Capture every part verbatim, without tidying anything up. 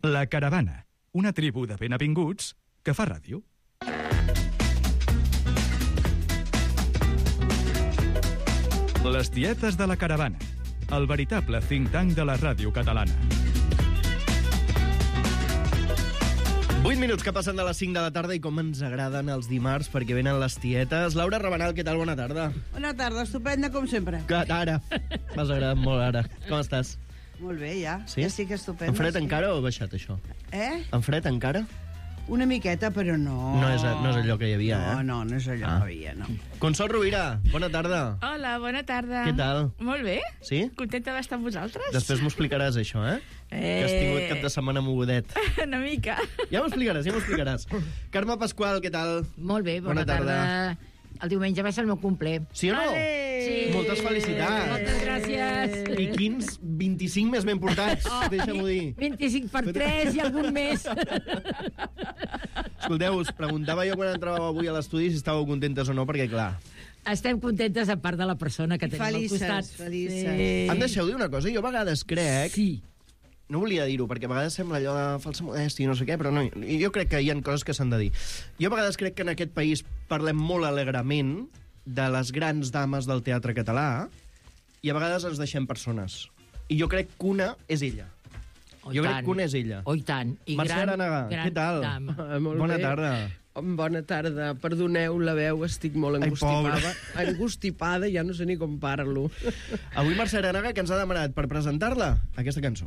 La Caravana, una tribu de benvinguts que fa ràdio. Les tietes de la Caravana, el veritable think tank de la ràdio catalana. vuit minuts que passen de les cinc de la tarda i com ens agraden els dimarts perquè venen les tietes. Laura Rabanal, què tal? Bona tarda. Bona tarda, estupenda com sempre. Que, ara, m'has agradat molt ara. Com estàs? Molt bé, ja. Sí? Ja sí que estupenda. En fred sí. encara o ha baixat això? Eh? En fred encara? Una miqueta, però no. No és, no és allò que hi havia, no, eh? No, no és allò Ah. que hi havia, no. Consol Rovira, bona tarda. Hola, bona tarda. Què tal? Molt bé. Sí? Contenta d'estar amb vosaltres. Després m'ho explicaràs, això, eh? Eh... Que has tingut cap de setmana mogudet. Una mica. Ja m'ho explicaràs, ja m'ho explicaràs. Carme Pasqual, què tal? Molt bé, bona, Bona tarda. tarda. El diumenge va ser el meu cumple. Sí o no? Sí. Moltes felicitats. Moltes gràcies. I quins vint-i-cinc més ben portats, oh, deixa-m'ho dir. vint-i-cinc per tres i algun més. Escolteu, us preguntava jo quan entràveu avui a l'estudi si estàveu contentes o no, perquè clar... Estem contentes a part de la persona que tenim Felices, al costat. felices. Sí. Em deixeu dir una cosa? Jo a vegades crec... Sí. No volia dir-ho, perquè a vegades sembla allò de falsa modèstia i no sé què, però no, jo crec que hi ha coses que s'han de dir. Jo a vegades crec que en aquest país parlem molt alegrement de les grans dames del teatre català i a vegades ens deixem persones. I jo crec que una és ella. Oh, jo tant. crec que una és ella. Oh, i tant. I Mercè gran, Aranaga, gran què tal? dama. Ah, molt Bona bé. tarda. Bona tarda. Perdoneu la veu, estic molt Ai, angustipada. Angustipada, ja no sé ni com parlo. Avui Mercè Aranaga, que ens ha demanat per presentar-la aquesta cançó.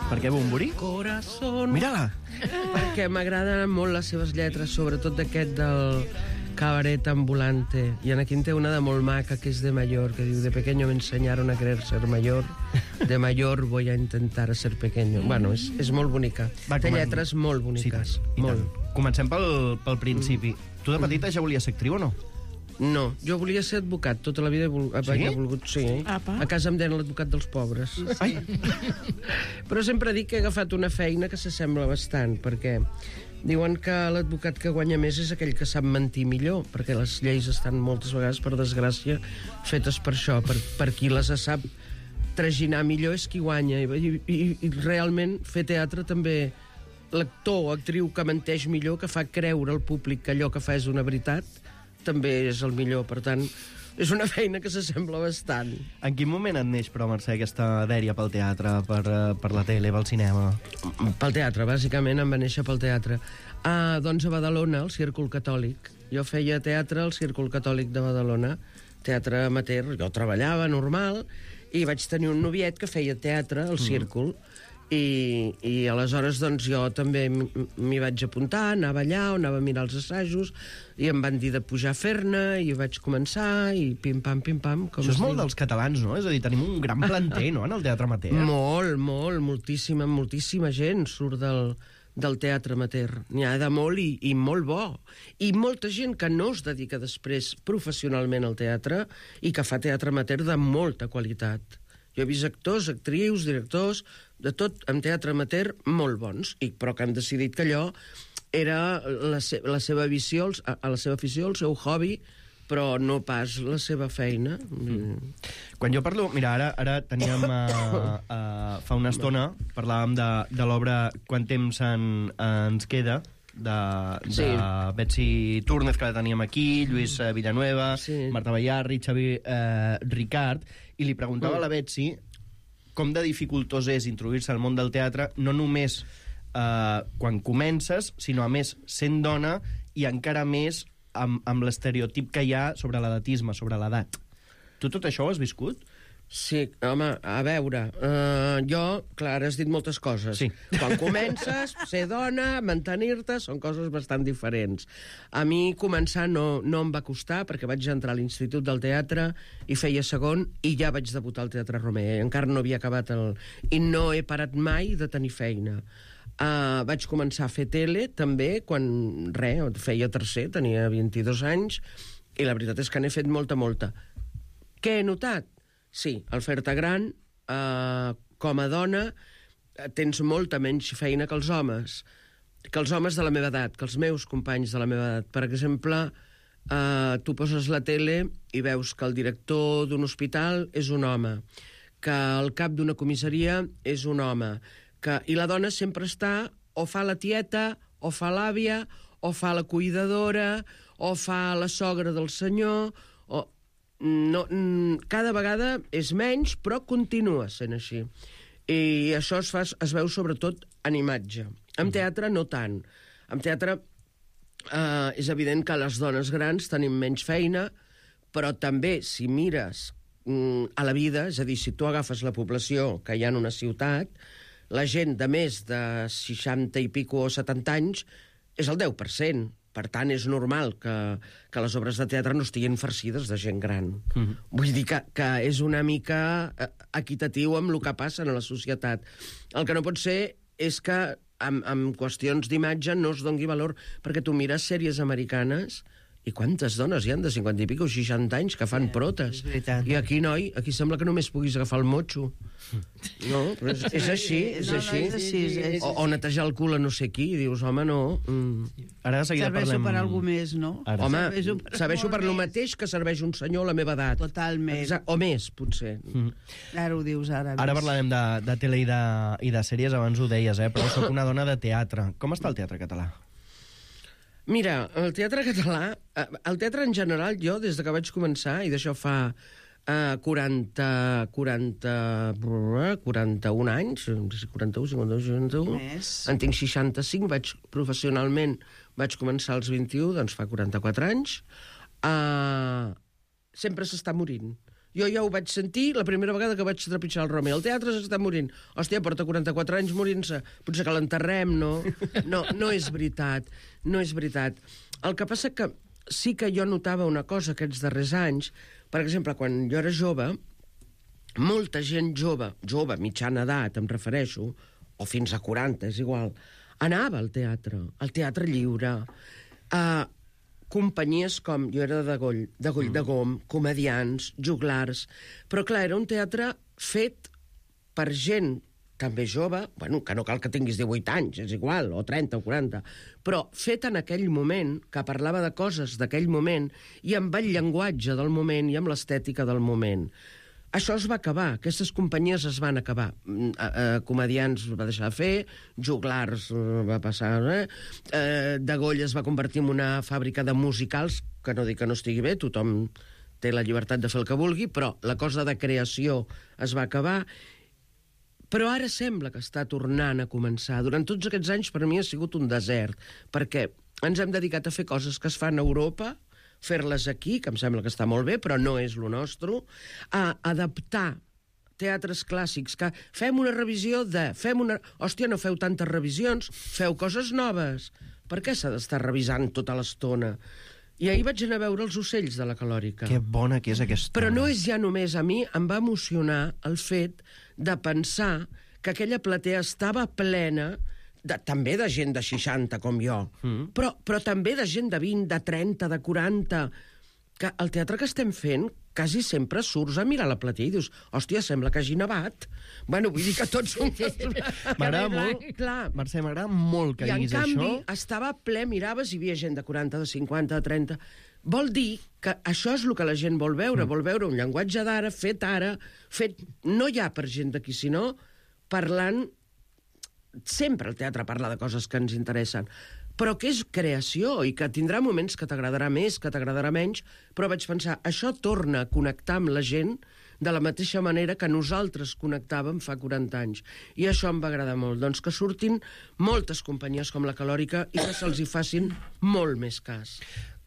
Per què Bumburi? Corazón. Mira-la! Perquè m'agraden molt les seves lletres, sobretot d'aquest del cabaret ambulante. I aquí en té una de molt maca, que és de mayor, que diu: de pequeño me enseñaron a querer ser mayor, de mayor voy a intentar ser pequeño. Bueno, és, és molt bonica. Va, Té comen- lletres molt boniques. Sí, i molt. tant. Comencem pel, pel principi. Tu de petita ja volies ser actriu o no? No, jo volia ser advocat, tota la vida he vol... Sí? he volgut, sí. Apa. A casa em deien l'advocat dels pobres. Ai. Però sempre dic que he agafat una feina que s'assembla bastant, perquè diuen que l'advocat que guanya més és aquell que sap mentir millor, perquè les lleis estan moltes vegades, per desgràcia, fetes per això, per, per qui les sap traginar millor és qui guanya. I, i, i realment fer teatre també, l'actor o actriu que menteix millor, que fa creure al públic que allò que fa és una veritat, també és el millor. Per tant, és una feina que s'assembla bastant. En quin moment et neix, però, Mercè, aquesta dèria pel teatre, per, eh, per la tele, pel cinema? Pel teatre, bàsicament em va néixer pel teatre. Ah, doncs a Badalona, al Círcul Catòlic. Jo feia teatre al Círcul Catòlic de Badalona, teatre amateur. Jo treballava normal i vaig tenir un noviet que feia teatre al Círcul. I, i aleshores doncs jo també m'hi vaig apuntar, anava allà, anava a mirar els assajos i em van dir de pujar a fer-ne i vaig començar i pim-pam, pim-pam. Això és molt dels catalans, no? És a dir, tenim un gran planter, no?, en el teatre amateur. Molt, molt, moltíssima, moltíssima gent surt del, del teatre amateur. N'hi ha de molt i, i molt bo. I molta gent que no es dedica després professionalment al teatre i que fa teatre amateur de molta qualitat. Jo he vist actors, actrius, directors, de tot, en teatre amateur, molt bons, i, però que han decidit que allò era la, se la seva visió, a, a la seva afició, el seu hobby, però no pas la seva feina. Mm. Quan jo parlo... Mira, ara, ara teníem... Uh, uh, fa una estona parlàvem de, de l'obra Quant temps en, ens queda, de, de Sí. Betsy Túrnez, que la teníem aquí, Lluís eh, Villanueva, Sí. Marta Ballarri, Xavi eh, Ricard, i li preguntava Mm. a la Betsy com de dificultós és introduir-se al món del teatre, no només eh, quan comences, sinó a més sent dona i encara més amb, amb l'estereotip que hi ha sobre l'edatisme, sobre l'edat. Tu tot això ho has viscut? Sí, home, a veure, uh, jo, clar, has dit moltes coses. Sí. Quan comences, ser dona, mantenir-te, són coses bastant diferents. A mi començar no, no em va costar, perquè vaig entrar a l'Institut del Teatre i feia segon, i ja vaig debutar al Teatre Romer. Encara no havia acabat el... I no he parat mai de tenir feina. Uh, vaig començar a fer tele, també, quan, res, feia tercer, tenia vint-i-dos anys, i la veritat és que n'he fet molta, molta. Què he notat? Sí, al fer-te gran, uh, com a dona, tens molta menys feina que els homes, que els homes de la meva edat, que els meus companys de la meva edat. Per exemple, uh, tu poses la tele i veus que el director d'un hospital és un home, que el cap d'una comissaria és un home, que... i la dona sempre està, o fa la tieta, o fa l'àvia, o fa la cuidadora, o fa la sogra del senyor, o... No, cada vegada és menys, però continua sent així. I això es, fa, es veu sobretot en imatge. En teatre no tant. En teatre eh, és evident que les dones grans tenim menys feina, però també, si mires mm, a la vida, és a dir, si tu agafes la població que hi ha en una ciutat, la gent de més de seixanta i pico o setanta anys és el deu per cent. Per tant, és normal que, que les obres de teatre no estiguin farcides de gent gran. Mm-hmm. Vull dir que, que és una mica equitatiu amb el que passa a la societat. El que no pot ser és que amb, amb qüestions d'imatge no es doni valor, perquè tu mires sèries americanes i quantes dones hi han de cinquanta i pico o seixanta anys que fan protes. I aquí, noi, aquí sembla que només puguis agafar el motxo. No, però és, és així, és No, no, així. és així, és així. O, o netejar el cul a no sé qui, i dius, home, no... Mm. Ara de seguida Serveixo parlem... per algú més, no? Ara. Home, Serveixo per serveixo molt per lo més. mateix que serveix un senyor a la meva edat. Totalment. Exacte, o més, potser. Mm. Ara ho dius, ara. Ara ves. parlarem de, de tele i de, i de sèries, abans ho deies, eh? Però sóc una dona de teatre. Com està el teatre català? Mira, el teatre català, eh, el teatre en general, jo, des de que vaig començar, i d'això fa eh, quaranta, quaranta, quaranta-un anys, quaranta-u, cinquanta-u, seixanta-u, Més. en tinc seixanta-cinc, vaig professionalment, vaig començar als vint-i-u, doncs fa quaranta-quatre anys, eh, sempre s'està morint. Jo ja ho vaig sentir la primera vegada que vaig trepitjar el Romeo. El teatre s'està morint. Hòstia, porta quaranta-quatre anys morint-se. Potser que l'enterrem, no? No, no és veritat. No és veritat. El que passa que sí que jo notava una cosa aquests darrers anys. Per exemple, quan jo era jove, molta gent jove, jove, mitjana edat, em refereixo, o fins a quaranta, és igual, anava al teatre, al teatre lliure, a companyies com... Jo era de Goll, de Goll de Gom, comedians, juglars... Però, clar, era un teatre fet per gent també jove, bueno, que no cal que tinguis divuit anys, és igual, o trenta o quaranta, però fet en aquell moment, que parlava de coses d'aquell moment, i amb el llenguatge del moment i amb l'estètica del moment. Això es va acabar, aquestes companyies es van acabar. Eh, eh, comedians va deixar de fer, juglars eh, va passar... Eh? Eh, de Goll es va convertir en una fàbrica de musicals, que no dic que no estigui bé, tothom té la llibertat de fer el que vulgui, però la cosa de creació es va acabar. Però ara sembla que està tornant a començar. Durant tots aquests anys per mi ha sigut un desert, perquè ens hem dedicat a fer coses que es fan a Europa, fer-les aquí, que em sembla que està molt bé, però no és lo nostre, a adaptar teatres clàssics, que fem una revisió de... Fem una... Hòstia, no feu tantes revisions, feu coses noves. Per què s'ha d'estar revisant tota l'estona? I ahir vaig anar a veure Els ocells de la Calòrica. Que bona que és aquesta... Però no és ja només a mi, em va emocionar el fet de pensar que aquella platea estava plena de, també de gent de seixanta, com jo, mm. però, però també de gent de vint, de trenta, de quaranta, que el teatre que estem fent quasi sempre surts a mirar la platea i dius, hòstia, sembla que hagi nevat. Bueno, vull dir que tots som... M'agrada molt, clar. Mercè, m'agrada molt que I diguis en canvi, això. estava ple, miraves i hi havia gent de quaranta, de cinquanta, de trenta... Vol dir que això és el que la gent vol veure, mm. vol veure un llenguatge d'ara, fet ara, fet no ja per gent d'aquí, sinó parlant... Sempre el teatre parla de coses que ens interessen, però que és creació i que tindrà moments que t'agradarà més, que t'agradarà menys, però vaig pensar, això torna a connectar amb la gent de la mateixa manera que nosaltres connectàvem fa quaranta anys. I això em va agradar molt. Doncs que surtin moltes companyies com la Calòrica i que se'ls hi facin molt més cas.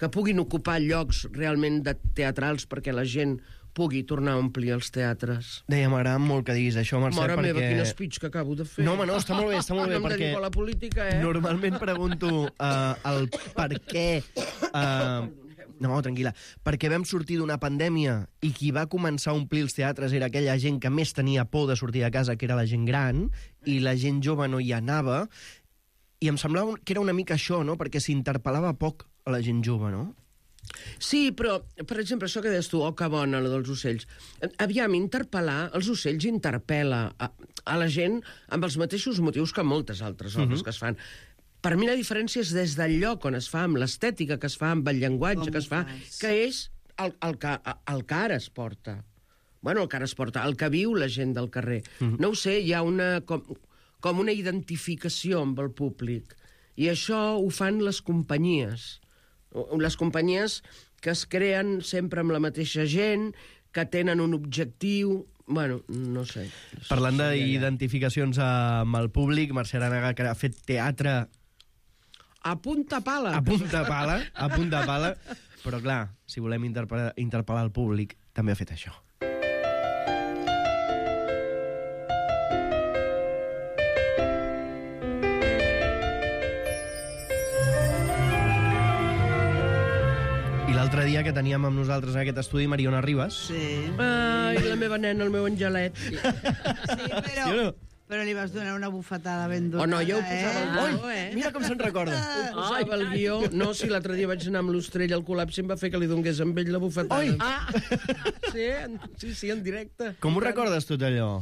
Que puguin ocupar llocs realment de teatrals perquè la gent pugui tornar a omplir els teatres. Deia, m'agrada molt que diguis això, Mercè, Mare perquè... meva, quin speech que acabo de fer. No, home, no, està molt bé, està molt bé, no em perquè... dedico a la política, eh? Normalment pregunto uh, el per què... Uh, no, tranquil·la. Perquè vam sortir d'una pandèmia i qui va començar a omplir els teatres era aquella gent que més tenia por de sortir de casa, que era la gent gran, i la gent jove no hi anava, I em semblava que era una mica això, no? Perquè s'interpel·lava poc a la gent jove, no? Sí, però, per exemple, això que deies tu, oh, que bona, la dels ocells. Aviam, interpel·lar, els ocells interpel·la a, a la gent amb els mateixos motius que moltes altres obres uh-huh. que es fan. Per mi la diferència és des del lloc on es fa, amb l'estètica que es fa, amb el llenguatge Com que es fa, fas? que és el, el, que, el que ara es porta. Bueno, el que ara es porta, el que viu la gent del carrer. Uh-huh. No ho sé, hi ha una, com, com una identificació amb el públic. I això ho fan les companyies. Les companyies que es creen sempre amb la mateixa gent, que tenen un objectiu... Bueno, no sé. Parlant d'identificacions amb el públic, Mercè Aranaga, que ha fet teatre a punta pala. a punta pala, a punta pala, però clar, si volem interpel·lar, interpel·lar el públic, també ha fet això. I l'altre dia que teníem amb nosaltres en aquest estudi Mariona Ribas. Sí. Ai, la meva nena, el meu angelet. Sí, però, Sí o no? però li vas donar una bufetada ben donada, Oh, no, jo ho posava eh? al Oi, guió, eh? mira com se'n recorda. Posava el guió. No, si l'altre dia vaig anar amb l'Ostrell al col·lapsi em va fer que li donés amb ell la bufetada. Oi! Ah! Sí, en, sí, sí, en directe. Com ho recordes tot allò?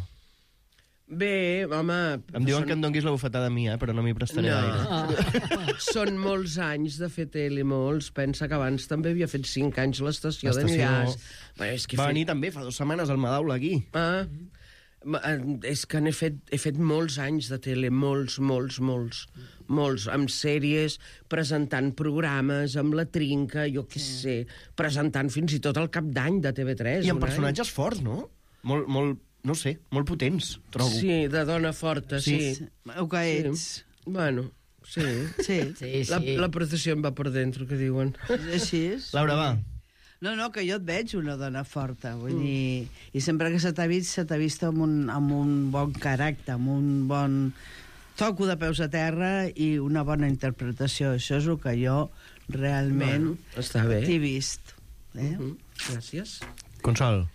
Bé, home... Em diuen són, que em donguis la bufetada a mi, eh? Però no m'hi prestaré No. gaire. Són molts anys de fer tele, molts. Pensa que abans també havia fet cinc anys l'estació L'estació- d'enllaç. Bueno, és que he Va fet... venir també fa dues setmanes al Madaula aquí. Ah, ma- eh, és que n'he fet, he fet molts anys de tele, molts, molts, molts, molts, amb sèries, presentant programes, amb la trinca, jo què sé, presentant fins i tot el cap d'any de T V tres. I amb un any. personatges forts, no? Molt, molt, no sé, molt potents, trobo. Sí, de dona forta, sí. Sí. sí. El que ets. Bueno, sí. Sí. Sí, La, sí. la processió em va per dentro, que diuen. És així. és. Laura, va. No, no, que jo et veig una dona forta, vull mm. dir... I sempre que se t'ha vist, se t'ha vist amb un, amb un bon caràcter, amb un bon toco de peus a terra i una bona interpretació. Això és el que jo realment Bueno, està bé. t'he vist. Eh? Mm, gràcies. Consol.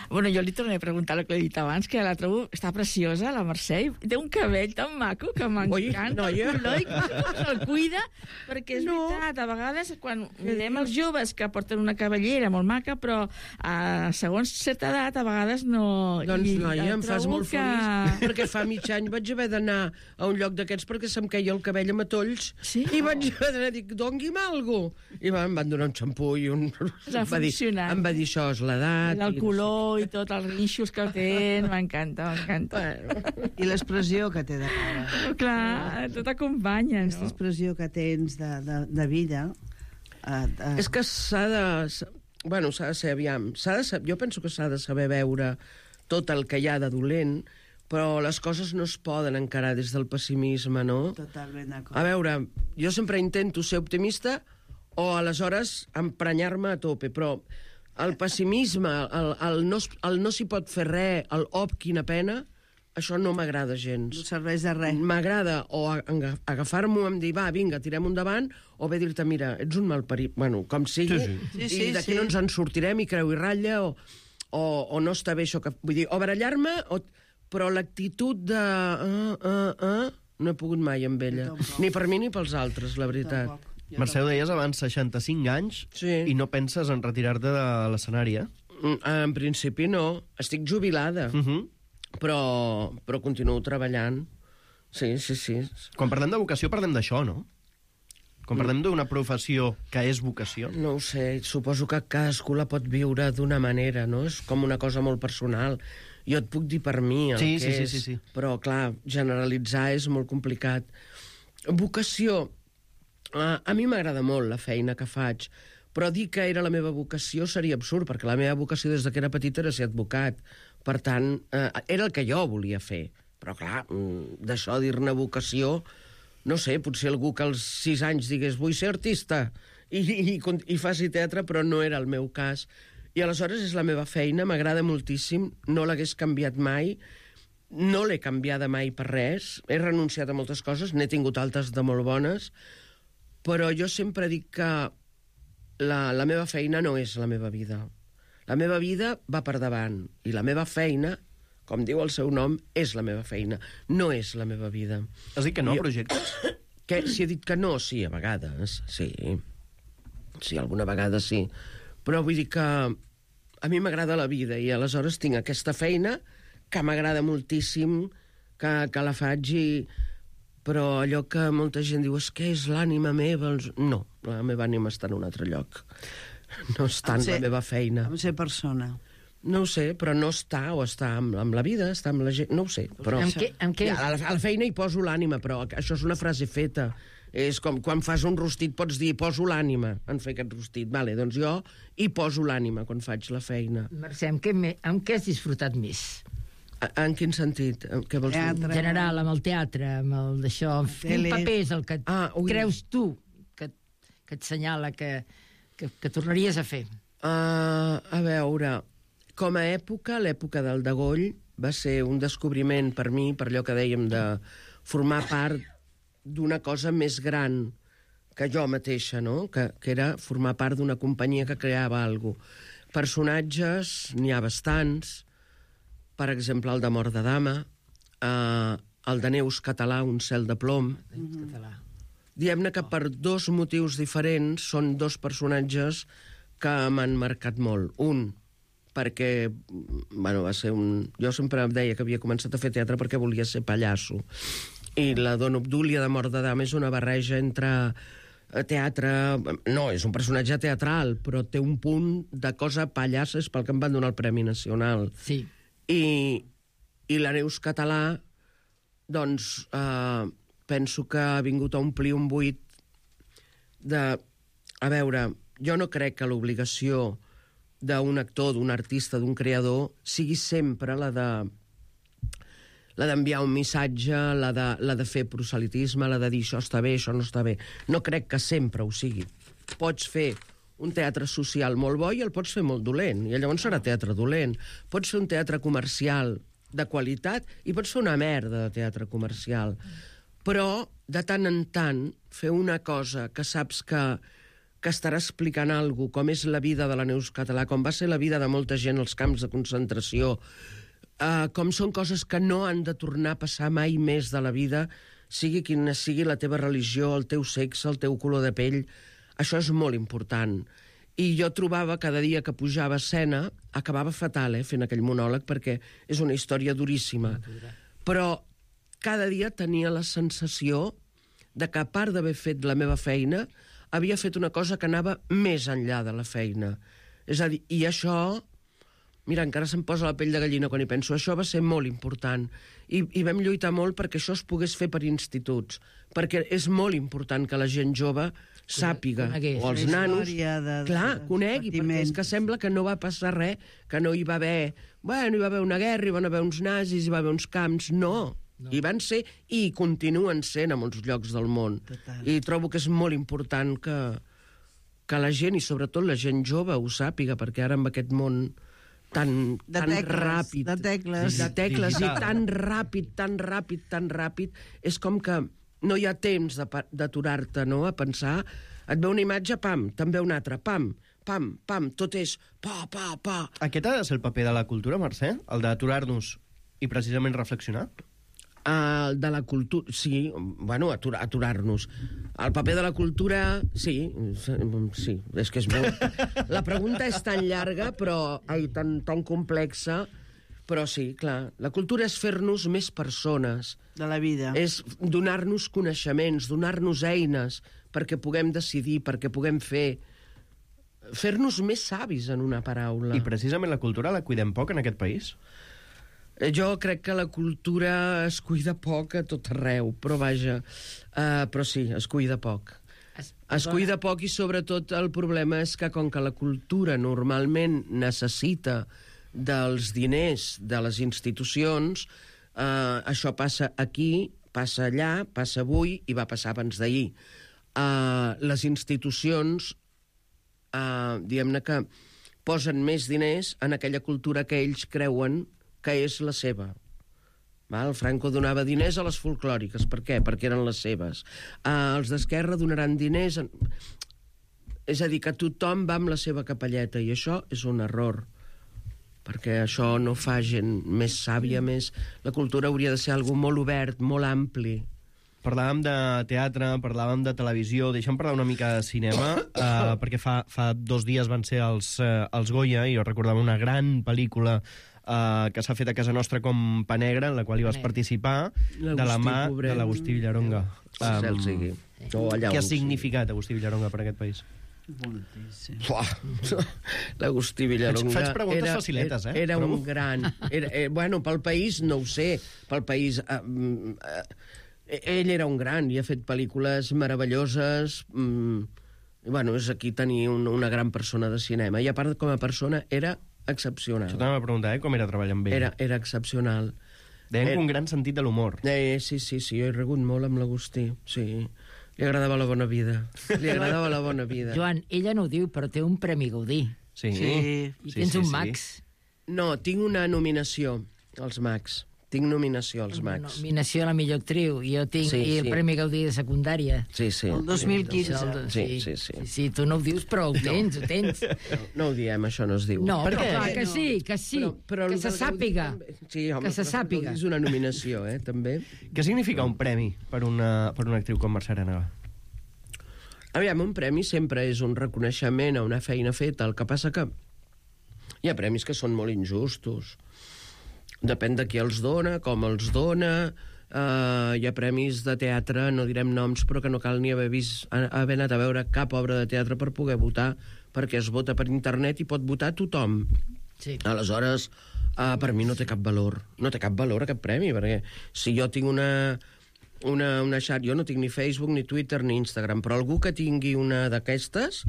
Bueno, jo li tornaré a preguntar el que he dit abans, que la trobo... Està preciosa, la Mercè, i té un cabell tan maco que m'encanta. noia. El color i com se'l cuida, perquè és no. veritat, a vegades quan mirem els joves que porten una cabellera molt maca, però a segons certa edat, a vegades no... Doncs, I noia, em fas trobo molt que... feliç, perquè fa mig any vaig haver d'anar a un lloc d'aquests perquè se'm queia el cabell a matolls, Sí? i vaig haver d'anar a dir, dongui'm alguna cosa. I va, em van donar un xampú i un... Ha Em va dir, funcionat. em va dir, això és l'edat. El i no sé color i tot, els rinxos que tenen, m'encanta, m'encanta. I l'expressió que té de cara. Clar, tot acompanya, Aquesta no? expressió que tens de, de, de vida... Eh, eh, És que s'ha de... Bueno, s'ha de ser, aviam, s'ha de saber, jo penso que s'ha de saber veure tot el que hi ha de dolent, però les coses no es poden encarar des del pessimisme, no? Totalment d'acord. A veure, jo sempre intento ser optimista o aleshores emprenyar-me a tope, però el pessimisme, el, el no, es- el no s'hi pot fer res, el op, quina pena, això no m'agrada No gens. serveix de res. M'agrada o a- aga- agafar-m'ho amb dir, va, vinga, tirem endavant, o bé dir-te, mira, ets un malparit, bueno, com sigui, Sí, sí. i Sí, sí, d'aquí sí. no ens en sortirem i creu i ratlla, o, o, o no està bé això que... Vull dir, o barallar-me, o, però l'actitud de... Uh, uh, uh, no he pogut mai amb ella. tampoc. Ni per mi ni pels altres, la veritat. Tampoc. Jo Mercè, ho deies abans, seixanta-cinc anys, Sí. i no penses en retirar-te de l'escenari, eh? Mm, En principi no. Estic jubilada, Uh -huh. però, però continuo treballant. Sí, sí, sí. Quan parlem de vocació, parlem d'això, no? Quan parlem d'una professió que és vocació. No ho sé, suposo que cadascú la pot viure d'una manera, no? És com una cosa molt personal. Jo et puc dir per mi el Sí, que sí, sí, és, sí, sí. però, clar, generalitzar és molt complicat. Vocació. Uh, a mi m'agrada molt la feina que faig, però dir que era la meva vocació seria absurd, perquè la meva vocació des de que era petita era ser advocat. Per tant, uh, era el que jo volia fer. Però, clar, mm, d'això dir-ne vocació... No sé, potser algú que als sis anys digués vull ser artista i, i, i faci teatre, però no era el meu cas. I aleshores és la meva feina, m'agrada moltíssim, no l'hagués canviat mai, no l'he canviada mai per res, he renunciat a moltes coses, n'he tingut altres de molt bones, però jo sempre dic que la, la meva feina no és la meva vida. La meva vida va per davant, i la meva feina, com diu el seu nom, és la meva feina, no és la meva vida. Has dit que no, Jo- projectes? Que, si he dit que no, sí, a vegades, sí. Sí, alguna vegada sí. Però vull dir que a mi m'agrada la vida i aleshores tinc aquesta feina que m'agrada moltíssim, que, que la faig i... Però allò que molta gent diu, és que és l'ànima meva... No, la meva ànima està en un altre lloc. No està en la meva feina. Amb ser persona. No ho sé, però no està, o està amb, amb la vida, està amb la gent... No ho sé, però... Amb què, amb què... Ja, a, la, a la feina hi poso l'ànima, però això és una frase feta. És com quan fas un rostit pots dir poso l'ànima en fer aquest rostit. Vale, doncs jo hi poso l'ànima quan faig la feina. Mercè, amb què, me... amb què has disfrutat més? A, en quin sentit? Què vols dir? En general, amb el teatre, amb el d'això... Quin paper és el que ah, creus tu que, que et senyala que, que, que tornaries a fer? Uh, a veure, com a època, l'època del Degoll va ser un descobriment per mi, per allò que dèiem de formar part d'una cosa més gran que jo mateixa, no? Que, que era formar part d'una companyia que creava alguna cosa. Personatges, n'hi ha bastants, per exemple, el de Mort de Dama, eh, el de Neus Català, Un cel de plom. Mm-hmm. Diem-ne que per dos motius diferents són dos personatges que m'han marcat molt. Un, perquè, bueno, va ser un... Jo sempre em deia que havia començat a fer teatre perquè volia ser pallasso. I la Dona Obdúlia de Mort de Dama és una barreja entre teatre... No, és un personatge teatral, però té un punt de cosa pallassa, és pel que em van donar el Premi Nacional. Sí. I, i la Neus Català, doncs, eh, penso que ha vingut a omplir un buit de... A veure, jo no crec que l'obligació d'un actor, d'un artista, d'un creador, sigui sempre la de la d'enviar un missatge, la de, la de fer proselitisme, la de dir això està bé, això no està bé. No crec que sempre ho sigui. Pots fer un teatre social molt bo i el pots fer molt dolent, i llavors serà teatre dolent. Pots fer un teatre comercial de qualitat i pots fer una merda de teatre comercial. Però, de tant en tant, fer una cosa que saps que, que estarà explicant alguna cosa, com és la vida de la Neus Català, com va ser la vida de molta gent als camps de concentració, eh, com són coses que no han de tornar a passar mai més de la vida, sigui quina sigui la teva religió, el teu sexe, el teu color de pell. Això és molt important. I jo trobava cada dia que pujava a escena, acabava fatal, eh, fent aquell monòleg, perquè és una història duríssima. Però cada dia tenia la sensació de que, a part d'haver fet la meva feina, havia fet una cosa que anava més enllà de la feina. És a dir, i això... Mira, encara se'm posa la pell de gallina quan hi penso. Això va ser molt important. I, i vam lluitar molt perquè això es pogués fer per instituts. Perquè és molt important que la gent jove sàpiga, conegués, o els la nanos... història de- clar, dels conegui, perquè és que patiments. sembla que no va passar res, que no hi va haver... Bueno, hi va haver una guerra, hi van haver uns nazis, hi va haver uns camps... No, no. Hi van ser i hi continuen sent a molts llocs del món. Total. I trobo que és molt important que, que la gent, i sobretot la gent jove, ho sàpiga, perquè ara amb aquest món tan, De tan tecles, ràpid... de tecles. De tecles, i Digital. tan ràpid, tan ràpid, tan ràpid, és com que no hi ha temps de pa- d'aturar-te, no?, a pensar. Et ve una imatge, pam, te'n ve una altra, pam, pam, pam, tot és pa, pa, pa. Aquest ha de ser el paper de la cultura, Mercè? El d'aturar-nos i precisament reflexionar? Uh, de la cultura... Sí, bueno, aturar, aturar-nos. El paper de la cultura... Sí, sí, és que és molt... La pregunta és tan llarga, però... Ai, tan, tan complexa, però sí, clar. La cultura és fer-nos més persones. De la vida. És donar-nos coneixements, donar-nos eines perquè puguem decidir, perquè puguem fer... Fer-nos més savis, en una paraula. I precisament la cultura la cuidem poc en aquest país? Eh, Jo crec que la cultura es cuida poc a tot arreu, però vaja, uh, però sí, es cuida poc. Es, Es cuida poc i sobretot el problema és que com que la cultura normalment necessita dels diners de les institucions, uh, això passa aquí, passa allà, passa avui i va passar abans d'ahir. Uh, les institucions, uh, diguem-ne que posen més diners en aquella cultura que ells creuen que és la seva. Val? Franco donava diners a les folclòriques. Per què? Perquè eren les seves. Uh, els d'Esquerra donaran diners... En... És a dir, que tothom va amb la seva capelleta, i això és un error, perquè això no fa gent més sàvia, més... La cultura hauria de ser algo molt obert, molt ampli. Parlàvem de teatre, parlàvem de televisió, deixa'm parlar una mica de cinema, uh, perquè fa, fa dos dies van ser els, uh, els Goya, i jo recordava una gran pel·lícula uh, que s'ha fet a casa nostra com Pa Negre, en la qual hi vas participar, de la mà pobret. de l'Agustí Villaronga. Um, cel sigui. O allà què ha on sigui. significat Agustí Villaronga per aquest país? Moltíssim. L'Agustí Villaronga... Faig preguntes era, faciletes, eh? Era, era Però... un gran... Era, eh, bueno, pel país no ho sé, pel país... Eh, eh, ell era un gran i ha fet pel·lícules meravelloses. Mm, i, bueno, és aquí tenir un, una gran persona de cinema. I a part, com a persona, era excepcional. Això t'anava a preguntar, eh? Com era treballar amb ell? Era, era excepcional. Deien era... un gran sentit de l'humor. Eh, sí, sí, sí, jo he rigut molt amb l'Agustí, sí. Li agradava la bona vida. Li agradava la bona vida. Joan, ella no ho diu, però té un Premi Gaudí. Sí. Sí. I tens un Max. No, tinc una nominació als Max. Tinc nominació als Una Max. nominació a la millor actriu. I jo tinc Sí, i el sí. Premi Gaudí de secundària. Sí, sí. El dos mil quinze. Això, el- Sí, sí, sí. Sí, tu no ho dius, però ho tens, ho tens. No ho diem, això no es diu. No, Per però què? clar que No. sí, que sí. Però, però que se el Gaudí sàpiga. també- Sí, home, Que se però el sàpiga. Gaudí és una nominació, eh, també. Què significa un premi per una, per una actriu com Mercè Arenega? Aviam, un premi sempre és un reconeixement a una feina feta. El que passa que hi ha premis que són molt injustos. Depèn de qui els dona, com els dona. Uh, hi ha premis de teatre, no direm noms, però que no cal ni haver vist, haver anat a veure cap obra de teatre per poder votar, perquè es vota per internet i pot votar tothom. Sí. Aleshores, uh, per mi no té cap valor. No té cap valor aquest premi, perquè si jo tinc una... Una, una xat, jo no tinc ni Facebook, ni Twitter, ni Instagram, però algú que tingui una d'aquestes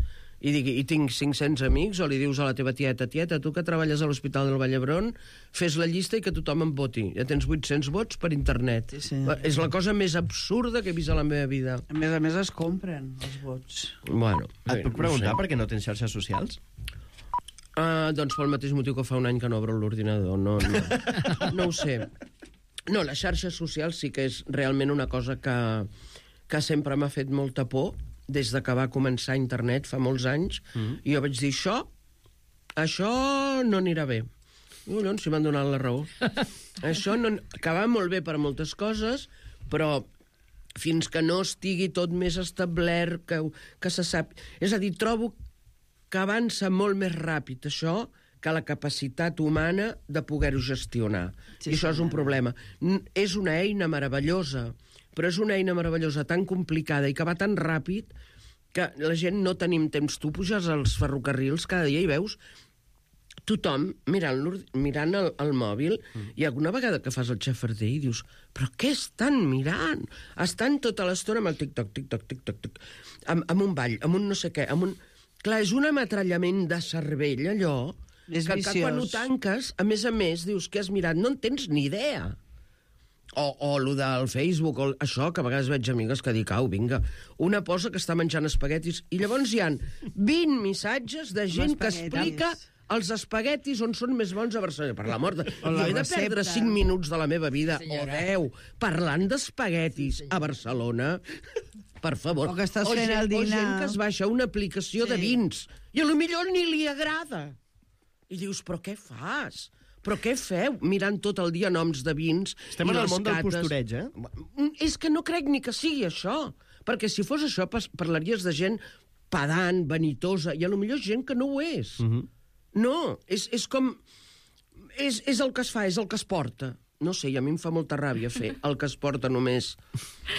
i digui, i tinc cinc-cents amics, o li dius a la teva tieta, tieta, tu que treballes a l'Hospital del Vall d'Hebron, fes la llista i que tothom em voti. Ja tens vuit-cents vots per internet. Sí, sí. És la cosa més absurda que he vist a la meva vida. A més a més es compren els vots. Bueno, Et puc preguntar per què no tens xarxes socials? Uh, doncs pel mateix motiu que fa un any que no obro l'ordinador. No, no, no ho sé. No, les xarxes socials sí que és realment una cosa que, que sempre m'ha fet molta por des de que va començar internet fa molts anys. Mm. I jo vaig dir, això, això no anirà bé. I collons, si m'han donat la raó. Això no, que va molt bé per moltes coses, però fins que no estigui tot més establert, que, que se sap... És a dir, trobo que avança molt més ràpid això que la capacitat humana de poder-ho gestionar. Sí, I això sí, és un no. problema. N- És una eina meravellosa, però és una eina meravellosa tan complicada i que va tan ràpid que la gent no tenim temps. Tu puges als ferrocarrils cada dia i veus tothom mirant, mirant el, el mòbil mm. i alguna vegada que fas el xafarder i dius, però què estan mirant? Estan tota l'estona amb el tic-toc, tic-toc, tic-toc, tic, amb, amb un ball, amb un no sé què, amb un... Clar, és un ametrallament de cervell, allò, És que, que viciós. quan ho tanques, a més a més, dius que has mirat, no en tens ni idea. O, o lo del Facebook, o això, que a vegades veig amigues que dic, au, vinga, una posa que està menjant espaguetis, i llavors hi han vint missatges de gent que espaguetis. explica els espaguetis on són més bons a Barcelona. Per la mort de... O la Jo he de recepta. perdre cinc minuts de la meva vida, Sí, senyora. o deu, parlant d'espaguetis a Barcelona. Per favor. O que estàs o fent gent, el O dinar. gent que es baixa una aplicació Sí. de vins, i a lo millor ni li agrada. I dius, però què fas? Però què feu mirant tot el dia noms de vins? Estem i en el les món del cates? postureig, eh? És que no crec ni que sigui això. Perquè si fos això, pas- parlaries de gent pedant, vanitosa, i a lo millor gent que no ho és. Mm -hmm. No, és, és com... És, és el que es fa, és el que es porta. No sé, i a mi em fa molta ràbia fer el que es porta només.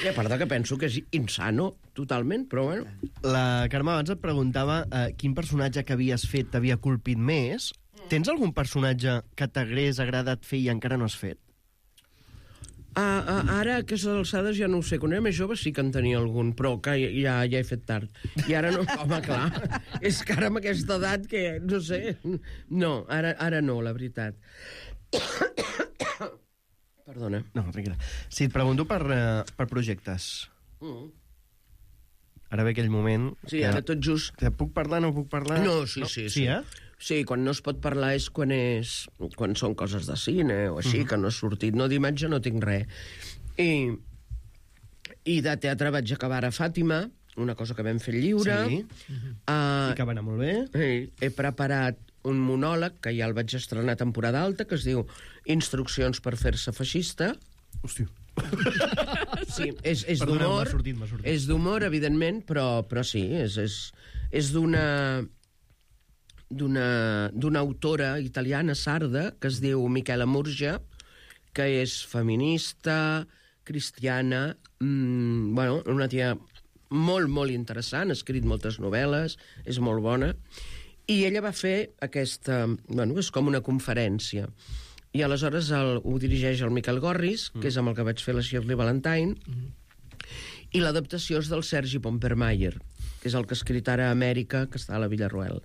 I a part de que penso que és insano, totalment, però bueno. La Carme abans et preguntava eh, quin personatge que havies fet t'havia colpit més. Tens algun personatge que t'hagués agradat fer i encara no has fet? Ah, ah, ara, a aquestes alçades, ja no ho sé. Quan era més jove sí que en tenia algun, però que ja, ja he fet tard. I ara no, home, clar. És que ara amb aquesta edat que, no sé... No, ara, ara no, la veritat. Perdona. No, tranquil·la. Si et pregunto per, eh, per projectes. Mm. Ara ve aquell moment... Sí, ara tot just... Que puc parlar, no puc parlar? No, sí, sí, Sí, sí. eh? Sí, quan no es pot parlar és quan, és, quan són coses de cine o així, uh -huh. que no ha sortit. No, d'imatge no tinc res. I, I de teatre vaig acabar a Fàtima, una cosa que vam fer lliure. Sí. Uh, I que va anar molt bé. he, he preparat un monòleg, que ja el vaig estrenar a temporada alta, que es diu Instruccions per fer-se feixista. Hòstia. sí, és, és Perdoneu, d'humor, m'ha sortit, m'ha sortit. és d'humor, evidentment, però, però sí, és, és, és d'una d'una d'una autora italiana, sarda, que es diu Michela Murgia, que és feminista, cristiana, mmm, bueno, una tia molt, molt interessant, ha escrit moltes novel·les, és molt bona, i ella va fer aquesta, bueno, és com una conferència, i aleshores el, ho dirigeix el Miquel Gorris, mm. que és amb el que vaig fer la Shirley Valentine, mm. i l'adaptació és del Sergi Pompermayer, que és el que ha escrit ara a Amèrica, que està a la Villarroel.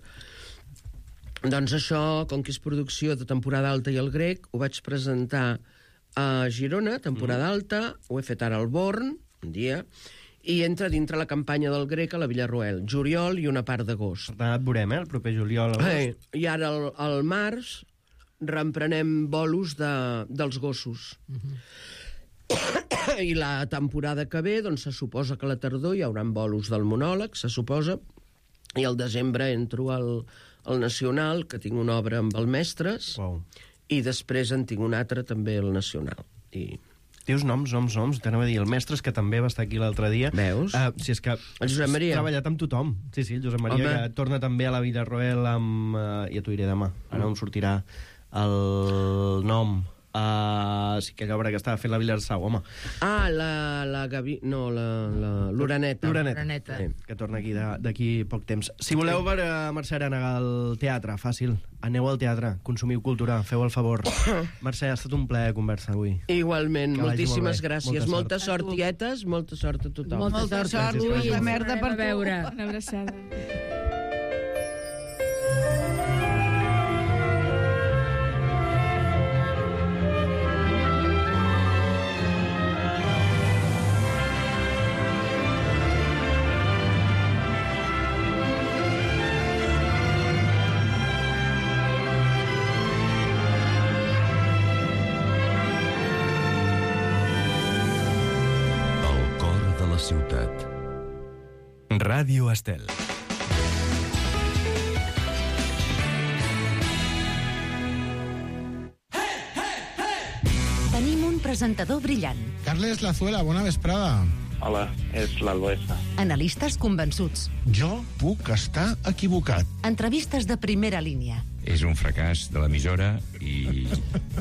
Doncs això, com que és producció de temporada alta i el grec, ho vaig presentar a Girona, temporada mm. alta, ho he fet ara al Born, un dia, i entra dintre la campanya del grec a la Villarroel, juliol i una part d'agost. Per tant, et veurem, eh, el proper juliol. Eh, I ara, al, al març, reemprenem bolos de, dels gossos. Mm-hmm. I la temporada que ve, doncs, se suposa que a la tardor hi haurà bolos del monòleg, se suposa, i al desembre entro al, al Nacional, que tinc una obra amb el Mestres, Wow. i després en tinc una altra també al Nacional. I... Dius noms, noms, noms, t'anava a dir. El Mestres, que també va estar aquí l'altre dia. Veus? Uh, si és que El Josep Maria. has treballat amb tothom. Sí, sí, el Josep Maria, Home. que torna també a la Villarroel amb... Uh, ja t'ho diré demà. Ara em sortirà el nom. Uh, sí, aquella obra que estava fent la Vilarsau, home. Ah, la, la Gavi... No, la, la l'Uraneta. L'Uraneta, L'Uraneta. sí, que torna aquí de- d'aquí poc temps. Si voleu veure Mercè Arànega al teatre, fàcil. Aneu al teatre, consumiu cultura, feu el favor. Mercè, ha estat un plaer conversar avui. Igualment, Que vagi moltíssimes molt bé. gràcies. Molta Molta sort, tietes, molta sort a tothom. Molta Molta sort. sort, Gràcies, Lluís, gràcies. de merda per Tornarem a tu. veure. Una abraçada. El cor de la ciutat. Ràdio Estel. Tenim un presentador brillant, Carles Lazuela, bona vesprada. Hola, és l'Alboesa. analistes convençuts, Jo puc estar equivocat. entrevistes de primera línia. És un fracàs de l'emissora i,